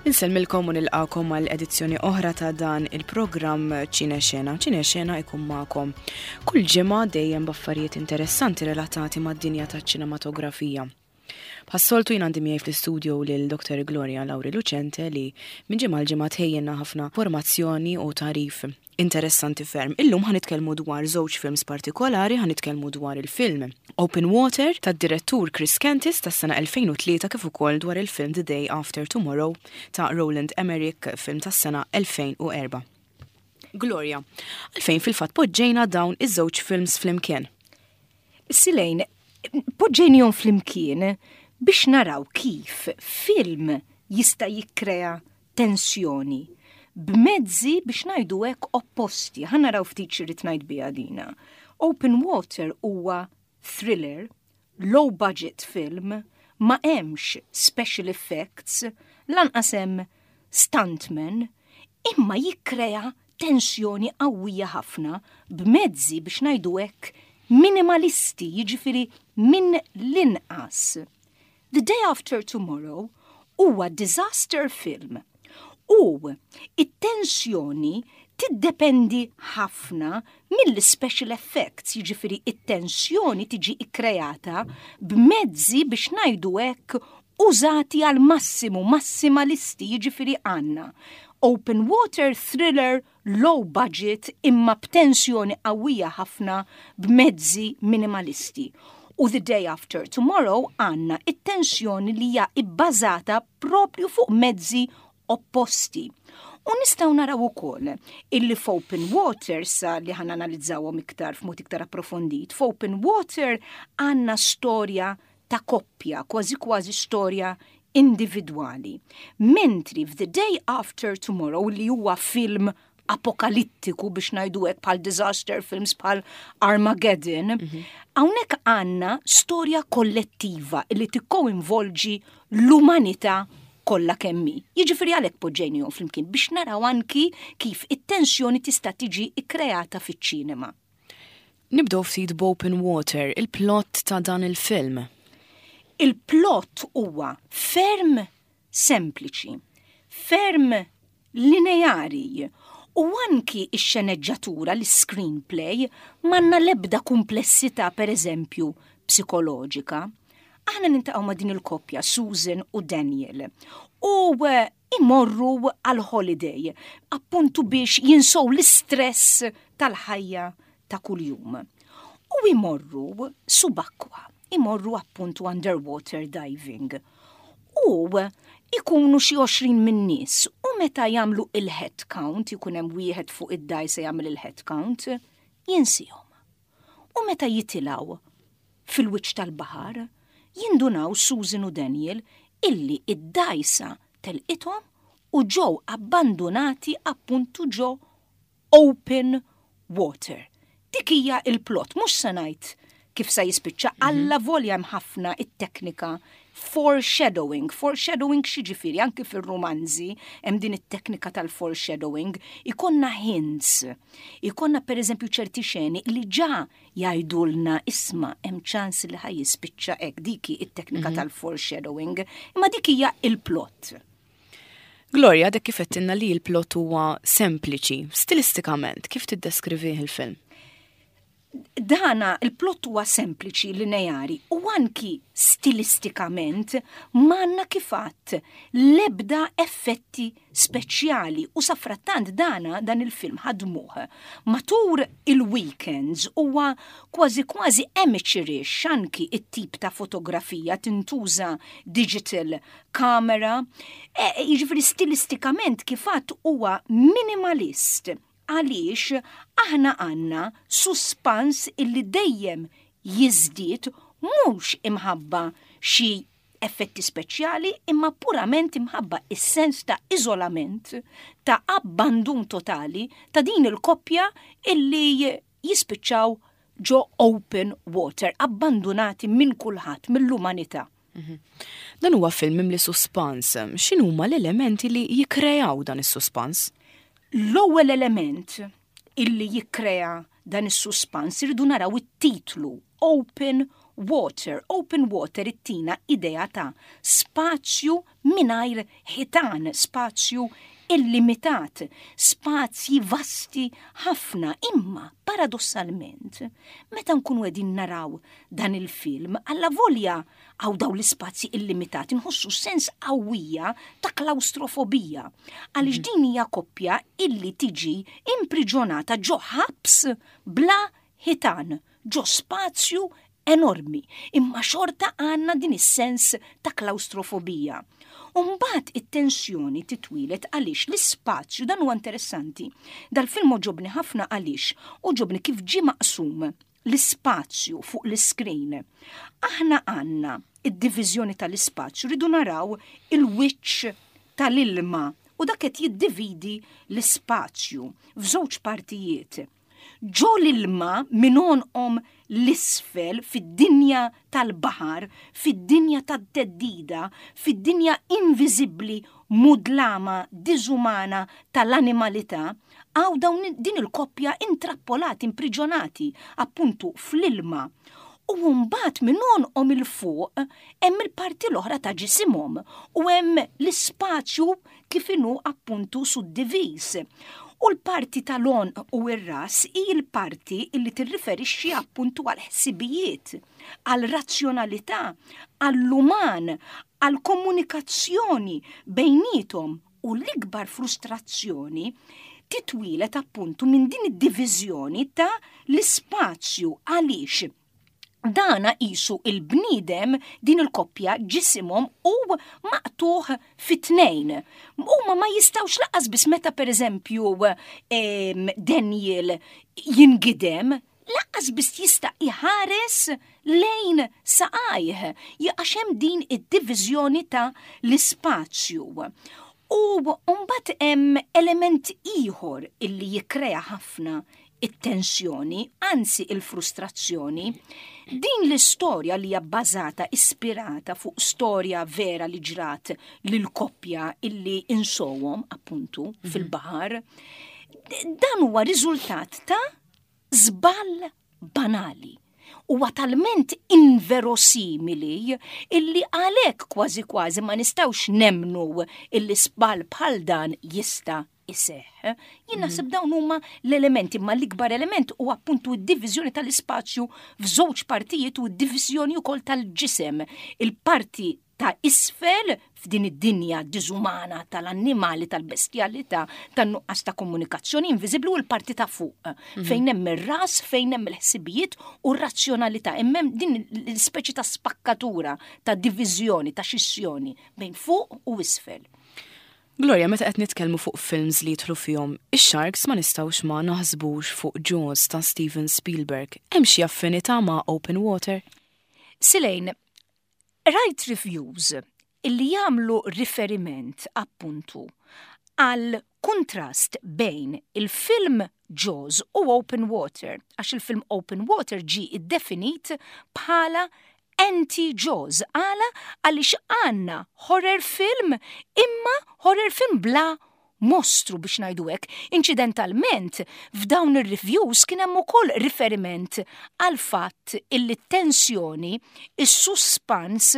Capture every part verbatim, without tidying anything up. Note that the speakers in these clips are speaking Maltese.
Insellmilkom u nilqakom għal edizzjoni oħra ta' dan il-programm Ċine Xena. Ċine Xena ikun magħkom kull ġimgħa, dejjem b'affarijiet interessanti relatati mad-dinja taċ-ċinematografija. Bħas-soltu, jien għandi miegħi fl-istudio lil Doktor Gloria Lauri Lucente, li minn ġimgħa l-ġimgħa tħejjilna ħafna formazzjoni u tagħrif interessanti ferm. Illum ħa nitkellmu dwar żewġ films partikolari. Ħa nitkellmu dwar il-film Open Water tad-direttur Chris Kentis tas-sena elfejn u tlieta, kif ukoll dwar il-film The Day After Tomorrow ta' Roland Emmerich, film tas-sena elfejn u erbgħa. Gloria, għalfejn fil-fatt poġġejna dawn iż-żewġ films flimkien? Silejn, poġġejnihom flimkien biex naraw kif film jista' jikkrea tensjoni b'mezzi, biex ngħidu hekk, opposti. Ħa naraw ftit x'irrid ngħid biha dina. Open Water huwa thriller, low budget film, ma hemmx special effects, lanqas hemm stuntmen, imma jikkrea tensjoni qawwija ħafna b'mezzi, biex ngħidu hekk, minimalisti, jiġifieri minn l-inqas. The Day After Tomorrow huwa disaster film u it-tensjoni tiddependi ħafna mill-special effects, jiġifieri it-tensjoni tiġi ikkreata b'mezzi, biex ngħidu hekk, użati għal massimu, massimalisti, jiġifieri għandna open water thriller low budget imma b'tensjoni qawwija ħafna b'mezzi minimalisti. U The Day After Tomorrow għandna it-tensjoni li hija ibbażata propju fuq mezzi opposti. U nistgħu naraw ukoll illi f'Open Water, sa li ħa nanalizzawhom iktar f'mod iktar approfondit, f'Open Water għandna storja ta' koppja, kważi kważi storja individwali. Mentri f'The Day After Tomorrow, li huwa film apokalittiku, biex ngħidu hekk, bħal disaster films bħal Armageddon, hawnhekk għandna storja kollettiva li tikkoinvolġi l-umanità kollha kemm hi. Jiġifieri għalhekk poġġejnihom flimkien, biex naraw anki kif it-tensjoni tista' tiġi ikkreata fiċ-ċinema. Nibdew ftit b'Open Water, il-plot ta' dan il-film. Il-plot huwa ferm sempliċi, ferm lineari u anki ix-xeneġġatura, l-screenplay, m'għandna lebda komplessità, per eżempju, psikoloġika. Aħna niltaqgħu ma' din il-koppja, Susan u Daniel, u eh, imorru għal holiday appuntu biex jinsow l-istress tal-ħajja ta' kuljum. U imorru subakwa, imorru appuntu underwater diving. U ikunu xi għoxrin minn nies u meta jagħmlu il-head count, ikun hemm wieħed fuq id-dgħajsa jagħmel il-head count, jinsihom. U meta jitilgħu fil-wiċċ tal-baħar, jindunaw Susan u Daniel illi id-dgħajsa telqithom u ġew abbandonati appuntu ġo open water. Dik hija il-plot, mhux se ngħid kif sa jispiċċa, alla volja hemm ħafna it-teknika foreshadowing. Foreshadowing x'jiġifieri? Anki fil-romanzi hemm din it-teknika tal-foreshadowing, ikollna hints. Ikollna, per eżempju, ċerti xeni li ġa jgħidulna, "Isma', hemm ċans li ħa jispiċċa hekk." Diki it-teknika tal-foreshadowing, imma dik hija il-plot. Gloria, dak kif għedtilna li il-plot huwa sempliċi, stilistikament, kif tiddeskrivih il-film? Dana il-plot huwa sempliċi, lineari, u anki stilistikament m'għandna, kif għedt, lebda effetti speċjali u safrattant dana dan il-film ħadmuh matul il-weekends, huwa kważi kważi amateurish anki it-tip ta' fotografija, tintuża digital camera, e, jiġifieri stilistikament, kif għedt, huwa minimalist, għaliex aħna għandna suspans illi dejjem jiżdied, mhux imħabba xi effetti speċjali, imma purament imħabba is-sens ta' iżolament, ta' abbandun totali ta' din il-koppja illi jispiċċaw ġo open water, abbandonati minn kulħadd, mill-umanità. Dan huwa film mimli suspans. X'inhuma l-elementi li jikkrejaw dan is-suspans? L-ewwel element illi jikkrea dan is-suspans, irridu naraw it-titlu, Open water. Open water ittina idea ta' spazju mingħajr ħitan, spazju illimitat, spazji vasti ħafna, imma paradossalment, meta nkunu qegħdin naraw dan il-film, alla volja hawn daw l-ispazji illimitati, nħossu sens qawwija ta' klaustrofobija. Għaliex din hija koppja illi tiġi impriġonata ġo ħabs bla ħitan, ġo spazju enormi, imma xorta għandna din is-sens ta' klaustrofobija. Umbagħad it-tensjoni titwieled għaliex l-ispazju, dan huwa interessanti. Dal-film għoġobni ħafna għaliex għoġobni kif ġie maqsum l-ispazju fuq l-iskrin. Aħna għandna id-diviżjoni tal-ispazju, rridu naraw il-wiċċ tal-ilma u dak qed jiddividi l-ispazju f'żewġ partijiet. Ġo l-ilma minn għonqhom 'l isfel fid-dinja tal-baħar, fid-dinja tat-theddida, fid-dinja inviżibbli, mudlama, diżumana tal-animalità, hawn dawn din il-koppja intrappolati, impriġonati, appuntu fl-ilma. U mbagħad minn għonqhom 'il fuq hemm il-parti l-oħra ta' ġisimhom u hemm l-ispazju kif inhu appuntu suddivis. U l-parti tal-għonq u r-ras hi l-parti illi tirriferixxi appuntu għal ħsibijiet, għal razzjonalità, għall-uman, għal komunikazzjoni bejniethom, u l-ikbar frustrazzjoni titwieled appuntu minn din id-diviżjoni ta' l-ispazju, għaliex dana qisu il-bniedem, din il-koppja, ġisimhom u maqtugħ fit-tnejn. Huma ma jistgħux lanqas biss meta, per eżempju, Daniel jingidem, lanqas biss jista' iħares lejn saqajh, għax hemm din id-diviżjoni ta' l-ispazju. U mbagħad hemm element ieħor illi jikkrea ħafna it-tensjoni, anzi il-frustrazzjoni. Din l-istorja li hija bbażata, ispirata fuq storja vera li ġrat lil koppja illi insowhom appuntu mhm. fil-baħar, dan huwa riżultat ta' żball banali. Huwa talment inverosimili illi għalhekk kważi kważi ma nistgħux nemnu illi żball bħal dan jista' iseħħ. Jien naħseb dawn huma l-elementi, ma l-ikbar element u appuntu d-diviżjoni tal-ispazju f'żewġ partijiet u d-diviżjoni wkoll tal-ġisem. Il-parti ta' isfel f'din id-dinja diżumana tal-annimali, tal-bestjalità, tan-nuqqas ta' komunikazzjoni inviżibbli, u l-parti ta' fuq mhm. fejn hemm ir-ras, fejn hemm il-ħsibijiet u r-razzjonalità. Hemm din l-ispeċi ta' spakkatura, ta' diviżjoni, ta' xissjoni bejn fuq u isfel. Gloria, meta qed nitkellmu fuq films li jidħlu fihom ix-sharks, ma nistgħux ma naħsbux fuq Jaws ta' Steven Spielberg. Hemm xi affinità ma' Open Water? Silejn, rajt reviews illi jagħmlu riferiment appuntu għal kontrast bejn il-film Jaws u Open Water, għax il-film Open Water ġi iddefinit bħala anti-Jaws. Għala? Għaliex għandna horror film, imma horror film bla mostru, biex ngħidu hekk. Incidentalment, f'dawn ir-reviews kien hemm ukoll riferiment għal fatt illi tensjoni, is-suspans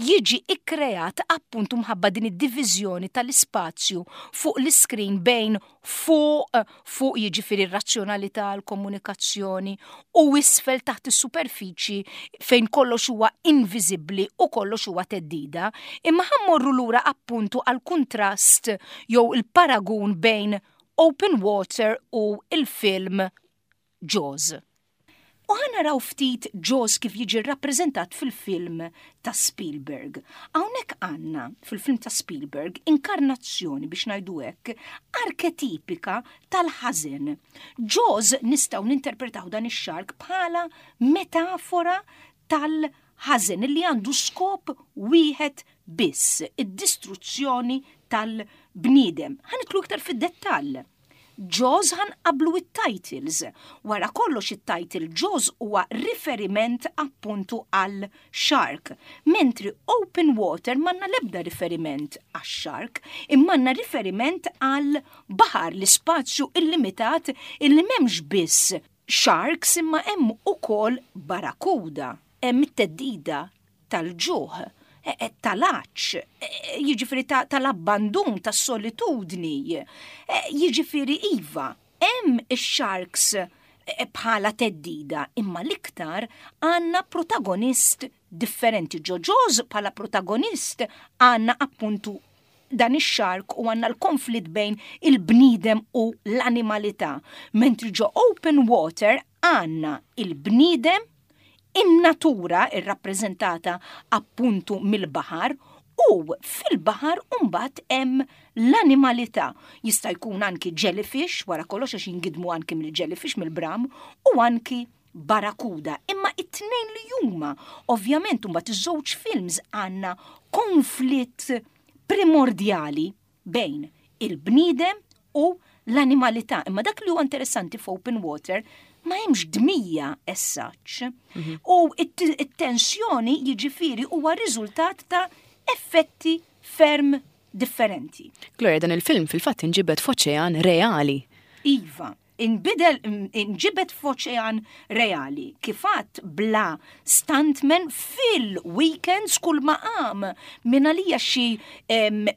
jiġi ikkreat appuntu mħabba din id-diviżjoni tal-ispazju fuq l-iskrin bejn fuq fuq jiġifieri r-razzjonalità, l-komunikazzjoni, u isfel taħt is-superfiċi fejn kollox huwa inviżibbli u kollox huwa theddida. Imma ħa mmorru lura appuntu għal kuntrast jew il-paragun bejn Open Water u il-film Jaws. U ħa naraw ftit Jaws kif jiġi rappreżentat fil-film ta' Spielberg. Hawnhekk għandna fil-film ta' Spielberg inkarnazzjoni, biex ngħidu hekk, arketipika tal-ħażen. Jaws nistgħu ninterpretaw dan ix-shark bħala metafora tal-ħażen li għandu skop wieħed biss, id-distruzzjoni tal-bniedem. Ħa nidħlu iktar fid-dettall. Jaws, ħa nqabblu it-titles. Wara kollox, it-title Jaws huwa riferiment appuntu għal shark, mentri Open Water m'għandna lebda riferiment għal shark, imma għandna riferiment għal baħar, l-ispazju illimitat illi m'hemmx biss sharks imma hemm ukoll barakuda. Hemm it-theddida tal-ġuħ, e, e, tal-għatx, e, jiġifieri tal-abbandun, tas-solitudni, jiġifieri iva, hemm ix-sharks bħala theddida, imma l-iktar għandna protagonist differenti. Ġo Jaws bħala protagonist għandna appuntu dan ix-shark u għandna l-konflitt bejn il-bniedem u l-animalità. Mentri ġo Open Water għandna il-bniedem, in-natura irrappreżentata appuntu mill-baħar, u fil-baħar mbagħad hemm l-animalità. Jista' jkun anki jellyfish, wara kollox għax jingidmu anki mill-jellyfish, mill-bram, u anki barakuda. Imma it-tnejn li huma, ovvjament, mbagħad iż-żewġ films għandna konflitt primordjali bejn il-bniedem u l-animalità. Imma dak li huwa interessanti f'Open Water, ma hemmx dmija as such. Mhm. U it-tensjoni jiġifieri huwa riżultat ta' effetti ferm differenti. Gloria, dan il-film fil-fatt inġibed f'oċean reali. Iva, inbidel, inġibed f'oċean reali. Kif għedt, bla stuntman, fil-weekends kull ma qam minn għalija xi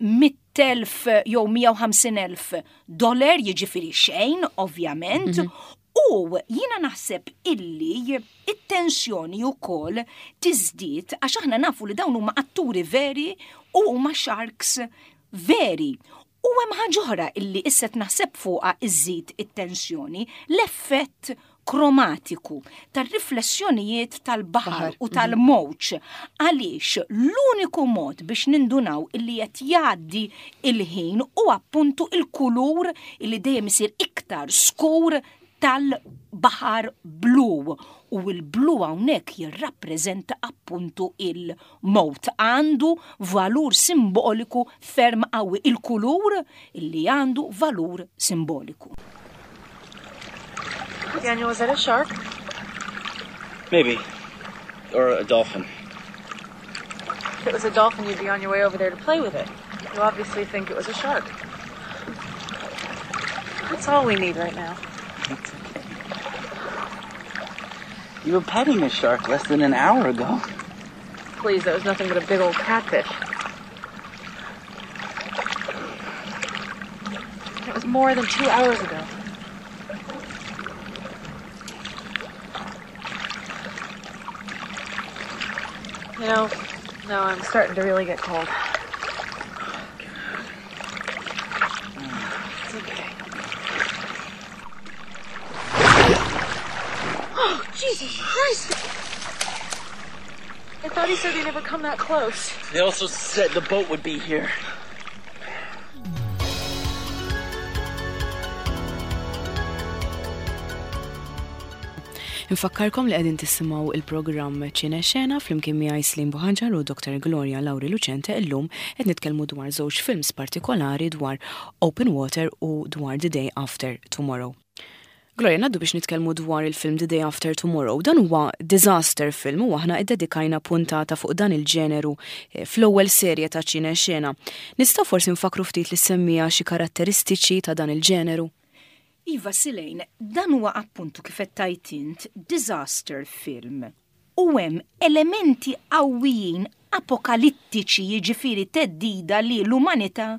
mitt elf jew mija u ħamsin elf dollar, jiġifieri xejn, ovvjament, mm -hmm. U jiena naħseb illi it-tensjoni wkoll tiżdied għax aħna nafu li dawn huma atturi veri u huma sharks veri. U hemm ħaġa oħra illi issa naħseb fuqha iżid it-tensjoni, l-effett kromatiku tar-riflessjonijiet tal-baħar u tal-mowġ. Għaliex l-uniku mod biex nindunaw illi qed jgħaddi il-ħin u appuntu il-kulur illi dejjem isir iktar skur tal-baħar blu, u il-blu hawnhekk jirrappreżenta appuntu il-mowt. Għandu valur simboliku ferm qawwi, il-kulur illi għandu valur simboliku. Daniel, was that a shark? Maybe. Or a dolphin. If it was a dolphin, you'd be on your way over there to play with it. You obviously think it was a shark. That's all we need right now. It's okay. You were petting a shark less than an hour ago. Please, that was nothing but a big old catfish. It was more than two hours ago. You know, now I'm starting to really get cold. It's okay. Oh, Jesus Christ! I thought he said he'd never come that close. They also said the boat would be here. Nfakkarkom li qegħdin tisimgħu il-programm Ċine Xena flimkien miegħi Slim Buħanġar u Doktor Gloria Lauri Lucente. Illum qed nitkellmu dwar żewġ films partikolari, dwar Open Water u dwar The Day After Tomorrow. Gloria, ngħaddu biex nitkellmu dwar il-film The Day After Tomorrow. Dan huwa disaster film u aħna iddedikajna puntata fuq dan il-ġeneru eh, fl-ewwel serje ta' Ċine Xena. Nistgħu forsi nfakru ftit lis-semmiegħa xi karatteristiċi ta' dan il-ġeneru? Iva Silejn, dan huwa appuntu, kif qed int, disaster film. U hemm elementi qawwijin apokalittiċi, jiġifieri theddida li l-umanità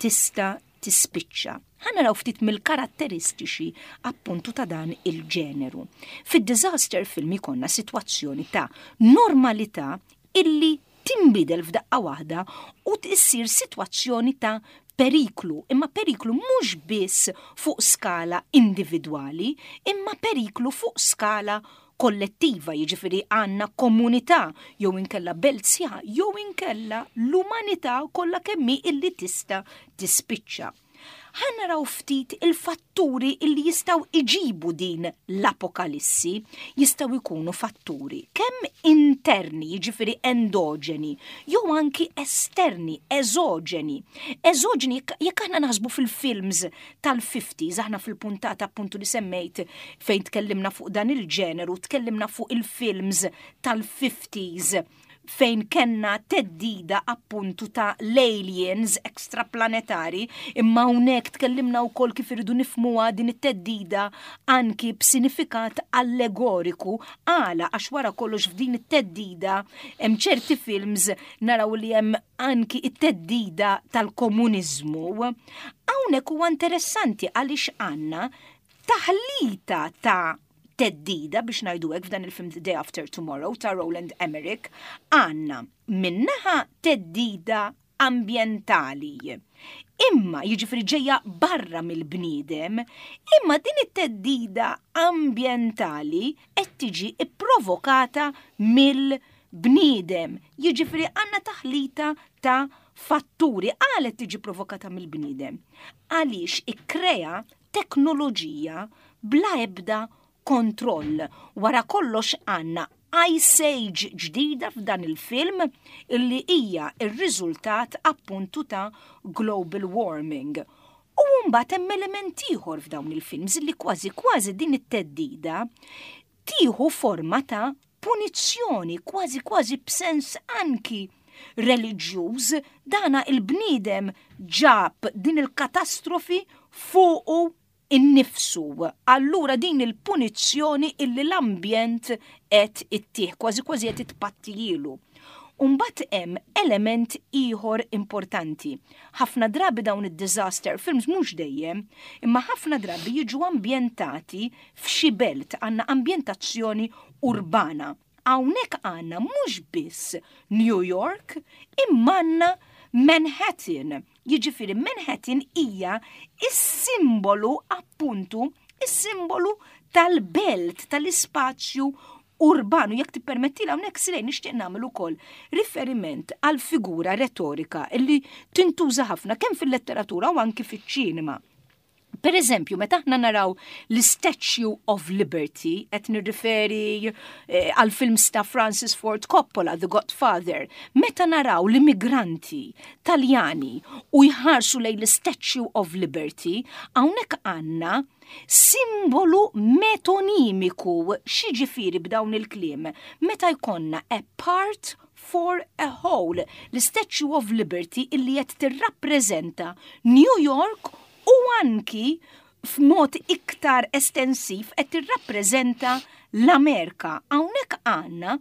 tista' tispiċċa. Ħa naraw ftit mill-karatteristiċi appuntu ta' dan il-ġeneru. Fid-disaster film ikollna sitwazzjoni ta' normalità illi timbidel f'daqqa waħda u tissir sitwazzjoni ta' periklu, imma periklu mhux biss fuq skala individwali, imma periklu fuq skala kollettiva, jiġifieri għandna komunità jew inkella belt sħiħa jew inkella l-umanità kollha kemm hi illi tista' tispiċċa. Ħa naraw ftit il-fatturi illi jistgħu iġibu din l-apokalissi. Jistgħu jkunu fatturi kemm interni, jiġifieri endoġeni, jew anki esterni, eżoġeni. Eżoġeni, jekk aħna naħsbu fil-films tal-fifties, aħna fil-puntata appuntu li semmejt fejn tkellimna fuq dan il-ġeneru, tkellimna fuq il-films tal-fifties Fejn kellna theddida appuntu ta' l-aliens extraplanetari, imma hawnhekk tkellimna wkoll kif irridu nifhmuha din it-theddida anki b'sinifikat allegoriku. Għala? Għax wara kollox f'din it-theddida hemm ċerti films naraw li hemm anki it-theddida tal-komuniżmu. Hawnhekk huwa interessanti għaliex għandna taħlita ta' theddida, biex ngħidu hekk, f'dan il-film The Day After Tomorrow ta' Roland Emmerich. Għandna minn naħa theddida ambientali. Imma jiġifieri ġejja barra mill-bniedem, imma din it-theddida ambientali qed tiġi ipprovokata mill-bniedem. Jiġifieri għandna taħlita ta' fatturi. Għala tiġi provokata mill-bniedem? Għaliex ikkrea teknoloġija bla ebda kontroll. Wara kollox għandna Ice Age ġdida f'dan il-film illi hija ir-riżultat appuntu ta' global warming. U mbagħad hemm element ieħor f'dawn il-films li kważi kważi din it-theddida tieħu forma ta' punizzjoni, kważi kważi b'sens anki reliġjuż, dana il-bniedem ġab din il-katastrofi fuqu innifsu. Allura din il-punizzjoni illi l-ambjent qed ittih, kważi kważi qed itpattijilu. Umbat hemm element ieħor importanti. Ħafna drabi dawn id-disaster films, mhux dejjem, imma ħafna drabi jiġu ambjentati f'xi belt, għandna ambjentazzjoni urbana. Hawnhekk għandna mhux biss New York, imma għandna Manhattan. Jiġifieri Manhattan hija is-simbolu appuntu, is-simbolu tal-belt, tal-ispazju urbanu. Jekk tippermetti, hawnhekk silej nixtieq nagħmel ukoll riferiment għal figura retorika illi tintuża ħafna kemm fil-letteratura u anki fiċ-ċinema. Per eżempju, meta aħna naraw l-Statue of Liberty, qed nirriferi eh, għal films ta' Francis Ford Coppola, The Godfather, meta naraw l-immigranti Taljani u jħarsu lejn l-Statue of Liberty, hawnhekk għandna simbolu metonimiku. X'jiġifieri b'dawn il-kliem? Meta jkollna a part for a whole, l-Statue of Liberty illi qed tirrappreżenta New York u anki f'mod iktar estensiv qed tirrappreżenta l-Amerika. Hawnhekk għandna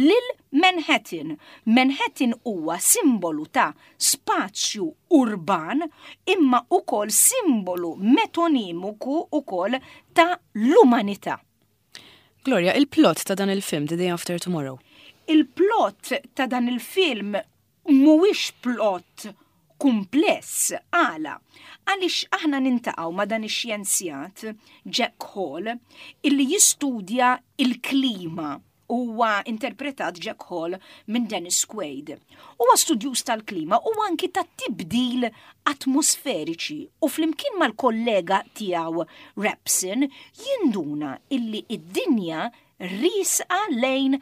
lil Manhattan. Manhattan huwa simbolu ta' spazju urban imma ukoll simbolu metonimiku ukoll ta' l-umanità. Gloria, il-plot ta' dan il-film The Day After Tomorrow. Il-plot ta' dan il-film mhuwiex plot kumpless. Għala? Għaliex aħna niltaqgħu ma' dan ix-xjenzjat Jack Hall illi jistudja il-klima. Huwa interpretat Jack Hall minn Dennis Quaid. Huwa studjuż tal-klima u anki tat-tibdil atmosferiċi u flimkien mal-kollega tiegħu Rapson jinduna illi id-dinja riesqa lejn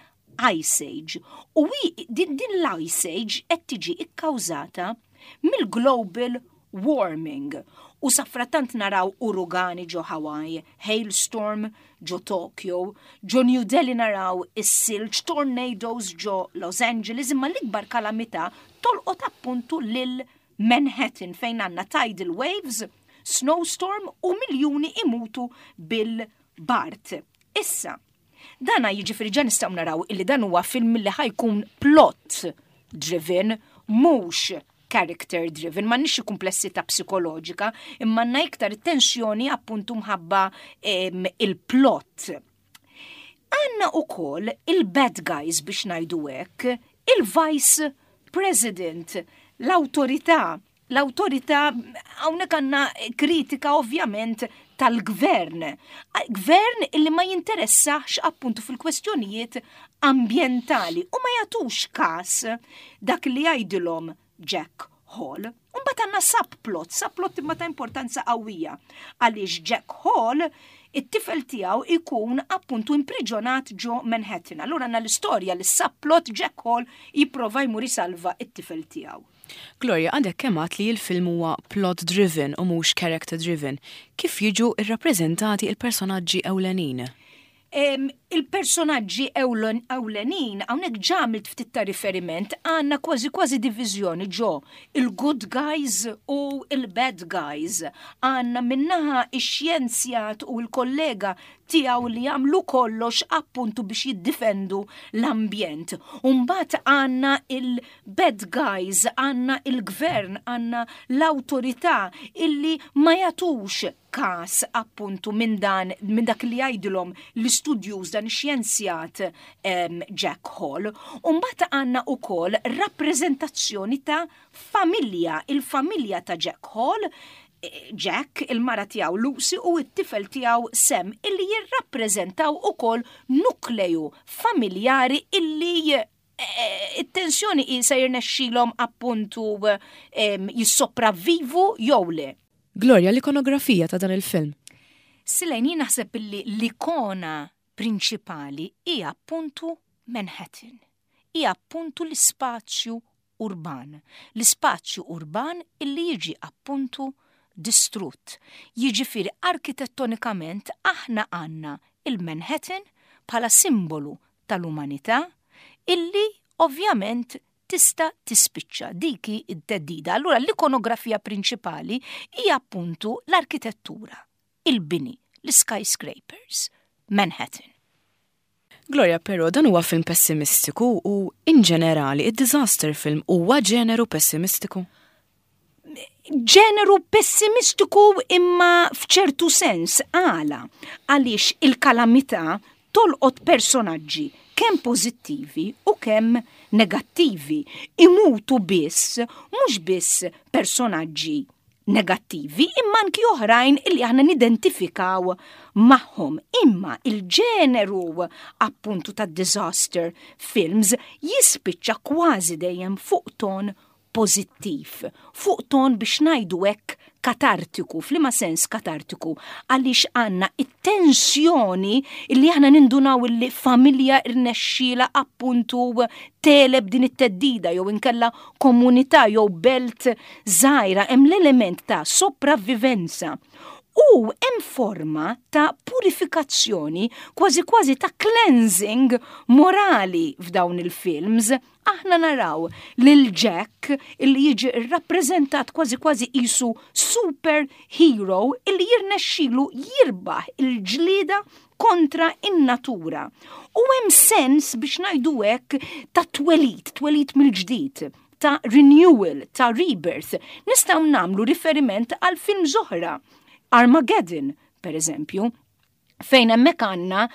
Ice Age u din, din l-Ice Age qed tiġi ikkawżata mill-global warming. U safratant naraw uragani ġo Hawaii, hailstorm ġo Tokyo, ġo New Delhi naraw is-silġ, tornadoes ġo Los Angeles, imma l-ikbar kalamità tolqot appuntu lil Manhattan fejn għandna tidal waves, snowstorm u miljuni imutu bil-bard. Issa, dana jiġifieri ġa nistgħu naraw illi dan huwa film li ħa jkun plot driven, mhux character driven, m'għandniex kumplessità psikoloġika, imma għandna iktar tensjoni appuntu mħabba il-plot. Għandna ukoll il-bad guys, biex ngħidu hekk, il-vice president, l-autorità, l-autorità hawnhekk għandna kritika ovvjament tal-gvern. Gvern illi ma jinteressax appuntu fil-kwestjonijiet ambientali u ma jagħtux kas dak li jgħidilhom Jack Hall. Mbagħad għandna subplot, subplot imma ta' importanza qawwija. Għaliex Jack Hall, it-tifel tiegħu ikun appuntu impriġonat ġo Manhattan. Allura għandna l-istorja li subplot Jack Hall jipprova jmur jisalva it-tifel tiegħu. Gloria, għandek kemm li l-film huwa plot driven u mhux character driven. Kif jiġu irrappreżentati il-personaġġi ewlenin? Il-personaġġi ewlenin, hawnhekk ġa għamilt ftit ta' riferiment, għandna kważi kważi diviżjoni ġo il-good guys u il-bad guys. Għandna minn naħa ix-xjenzjat u l-kollega tiegħu li jagħmlu kollox appuntu biex jiddifendu l-ambjent. Umbagħad għandna il-bad guys, għandna il-gvern, għandna l-awtorità illi ma jagħtux kas appuntu minn dan minn dak li jgħidilhom l-istudjuż, dan ix-xjenzjat Jack Hall. Umbagħad għandna ukoll rappreżentazzjoni ta' familja, il-familja ta' Jack Hall, Jack, il-mara tiegħu Lucy u t-tifel tiegħu Sam, illi jirrappreżentaw ukoll nukleju familjari illi it-tensjoni se jirnexxilhom appuntu jissopravvivu jew le. Gloria, l-ikonografija ta' dan il-film. Silejn, jien naħseb illi l-ikona prinċipali hija appuntu Manhattan. Hija appuntu l-ispazju urban. L-ispazju urban illi jiġi appuntu distrutt. Jiġifieri arkitettonikament aħna għandna il-Manhattan bħala simbolu tal-umanità illi ovvjament tista' tispiċċa, dik id-theddida. Allura l-ikonografija prinċipali hija appuntu l-arkitettura, il-bini, l-skyscrapers, Manhattan. Gloria, però dan huwa film pessimistiku u in ġenerali id-disaster film huwa ġeneru pessimistiku? Ġeneru pessimistiku imma f'ċertu sens, għala, għaliex il-kalamità tolqot personaġġi kemm pożittivi u kemm negattivi. Imutu biss, mhux biss personaġġi negattivi, imma anki oħrajn illi aħna nidentifikaw magħhom. Imma il-ġeneru appuntu ta' disaster films jispiċċa kważi dejjem fuq ton pożittiv, fuq ton biex ngħidu hekk katartiku. F'liema sens katartiku? Għaliex għandna it-tensjoni illi aħna nindunaw illi familja irnexxiela appuntu tegħleb din it-theddida, jew inkella komunità jew belt żgħira, hemm l-element ta' sopravvivenza. U hemm forma ta' purifikazzjoni, kważi kważi ta' cleansing morali f'dawn il-films. Aħna naraw lil Jack illi jiġi rrappreżentat kważi kważi qisu super hero illi jirnexxilu jirbaħ il-ġlieda kontra in-natura. U hemm sens biex ngħidu hekk ta' twelid, twelid mill-ġdid, ta' renewal, ta' rebirth. Nistgħu nagħmlu riferiment għal film oħra, Armageddon, per eżempju, fejn hemmhekk għandna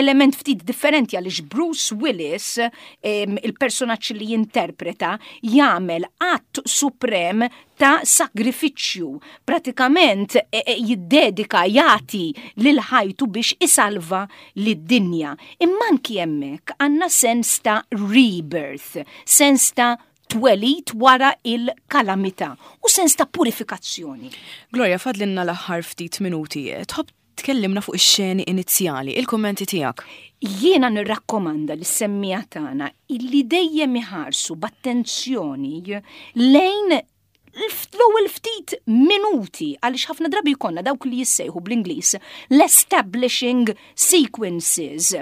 element ftit differenti għaliex Bruce Willis, il-personaġġ li jinterpreta, jagħmel att suprem ta' sagrifiċċju. Pratikament e, e, jiddedika, jagħti lil ħajtu biex isalva lid-dinja. Imma anki hemmhekk għandna sens ta' rebirth, sens ta' twelid wara il-kalamità u sens ta' purifikazzjoni. Gloria, fadlinna l-aħħar ftit minuti. Tħobb tkellimna fuq ix-xeni inizjali, il-kummenti tiegħek. Jiena nirrakkomanda lis-semmiegħa tagħna illi dejjem iħarsu b'attenzjoni lejn l-ewwel ftit minuti, għaliex ħafna drabi jkollna dawk li jissejħu bl-Ingliż l-establishing sequences.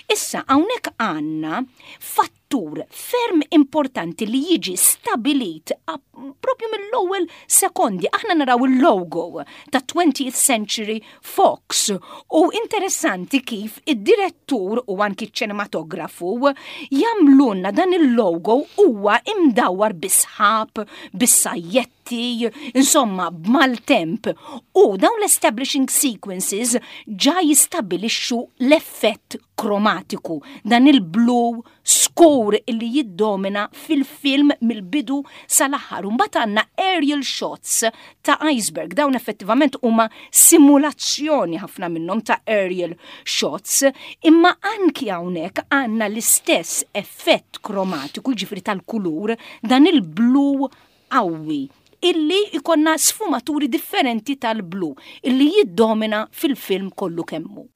Issa hawnhekk għandna fattur ferm importanti li jiġi stabilit propju mill-ewwel sekondi. Aħna naraw il-logo ta' twentieth Century Fox u interessanti kif id-direttur u anki ċ-ċinematografu jagħmlulna dan il-logo huwa imdawwar bis-sħab, bis-sajjetti, insomma b'maltemp. U dawn l-establishing sequences ġa jistabilixxu l-effett kromatiku, dan il-blu skur illi jiddomina fil-film mill-bidu sal-aħħar. Mbagħad għandna aerial shots ta' iceberg, dawn effettivament huma simulazzjoni ħafna minnhom ta' aerial shots, imma anki hawnhekk għandna l-istess effett kromatiku, jiġifieri tal-kulur, dan il-blu qawwi illi ikonna sfumaturi differenti tal-blu illi jiddomina fil-film kollu kemmu.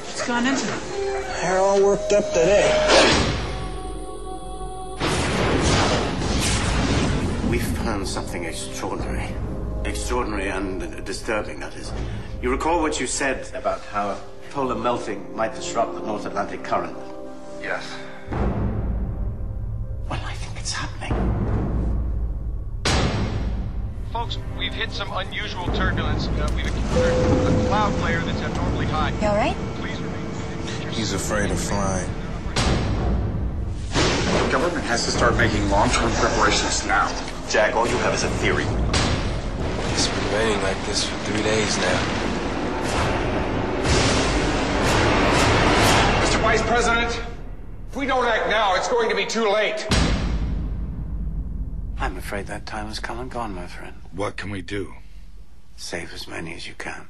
What's gone into them? all worked up today? We found something extraordinary. Extraordinary and disturbing, that is. You recall what you said about how polar melting might disrupt the North Atlantic current? Yes. Well, I think it's happening. Folks, we've hit some unusual turbulence. Uh, we've encountered a cloud layer that's abnormally high. You all right? Please remain. He's afraid of flying. The government has to start making long-term preparations now. Jack, all you have is a theory. It's been raining like this for three days now. Mr. Vice President, if we don't act now, it's going to be too late. I'm afraid that time has come and gone, my friend. What can we do? Save as many as you can.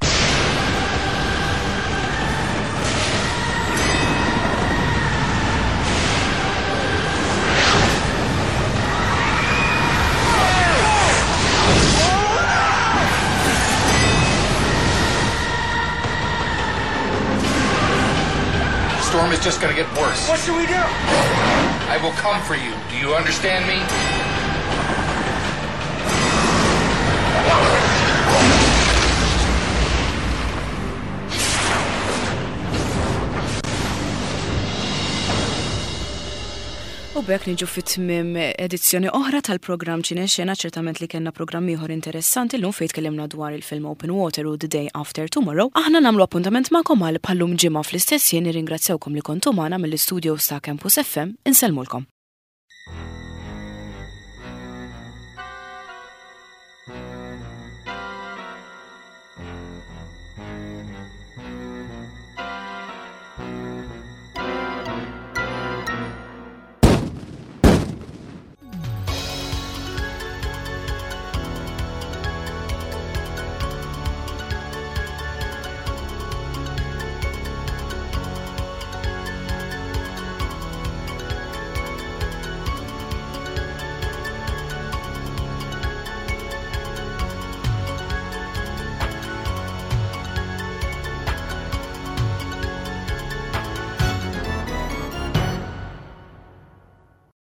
The storm is just going to get worse. What should we do? I will come for you. Do you understand me? U b'hekk niġu fit-tmiem edizzjoni oħra tal-programm Ċinexena, ċertament li kellna programm ieħor interessanti llum fejn tkellimna dwar il-film Open Water u The Day After Tomorrow. Aħna nagħmlu appuntament magħkom għal bħal-lum ġimgħa fl-istess jien nirringrazzjawkom li kontu magħna mill-istudio ta' Campus FM. Insellmulkom.